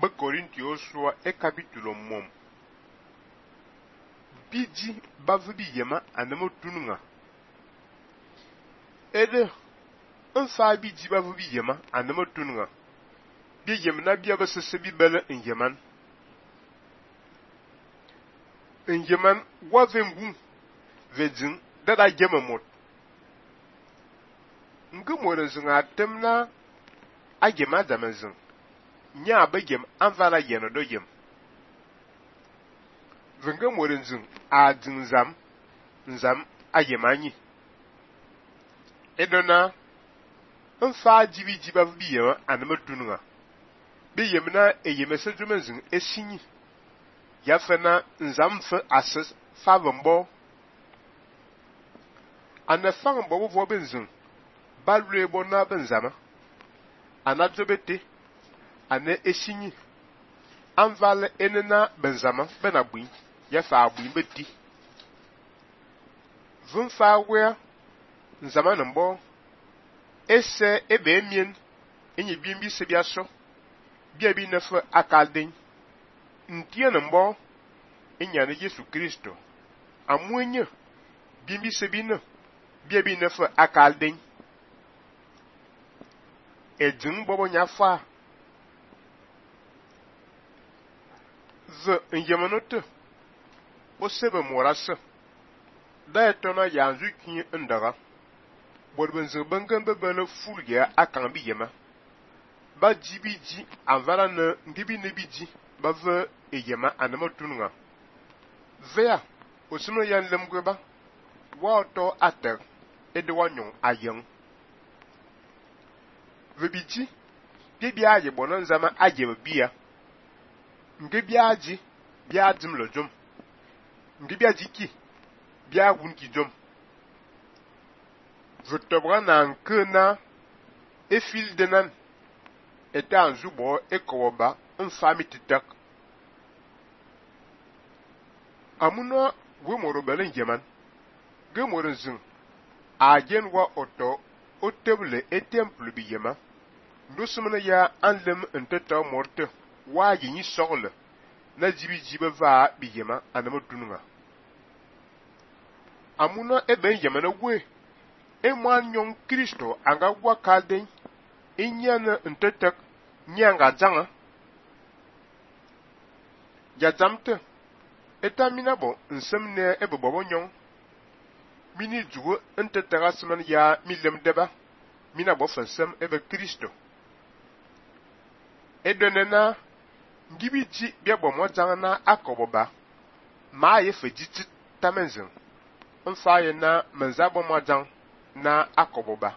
be Corinthians sua e capítulo mom. Biji bavu bi yema anamo tununga. Ede fa biji bavu bi yema anamo tununga. Bi yemna bi abasese bi bele en yeman. En yeman wa vengu vedzin dada yema mot. Nge moren zunga temna a yema damazin. Nya be yem anvala yeno do yem. Venge moren zung a nzam a yemanyi. Edona nfa jibi jiba bi yema anama tununga. Bi yemna e yemese jumenzung esinyi. Ya fena nzam fe ases favombo. Ana fangbo bo benzung. Balwe bona benzama. Ana jobete. Ana esinyi. Anvale enena benzama bena bui. Ya fa bui beti. Vunfa wea nzama nambo. Ese ebe emien. Enye bimbi sebiaso. Biabi nefe akalden. Ntie nambo. Enyane Yesu Kristo. Amwenye. Bimbi sebine. Biabi nefe akalden. Ejung bobo nyafa. Ze nyemanote. O sebe morase. Da etona yanzu kinye ndaga. Borbenze bengen bebele fulge akambi yema. Ba jibiji anvala ne ngibi nebiji ba ve eyema anama tununga. Vea osino yan lemgweba. Wa oto ater ede wanyon ayen. Vebiji bibi aje bonan zama aje bia. Ngebi aji bia dim lo jom. Ngebi aji ki bia wun ki jom. Votobra na nkena efil denan ete anzubo ekowoba mfami titak. Amuna we moro belen yeman. Ge moro zin ajen wa oto o tebule e temple bi yema. Ndosumene ya anlem nteta morte wa yinyi sogle na jibi va bi yema anama tununga. Amuna ebe yema na we emwan yon Kristo anga wakalden inyana ntetek nyanga zanga ya zamte etamina bo nsemne ebe bobo nyon mini jugo ntetega seman ya milem deba mina bo fansem ebe Kristo edonena ngibiji bia bo mo zanga na akoboba ma ye fejiti tamenzin mfa ye na menzabo mo zanga na akoboba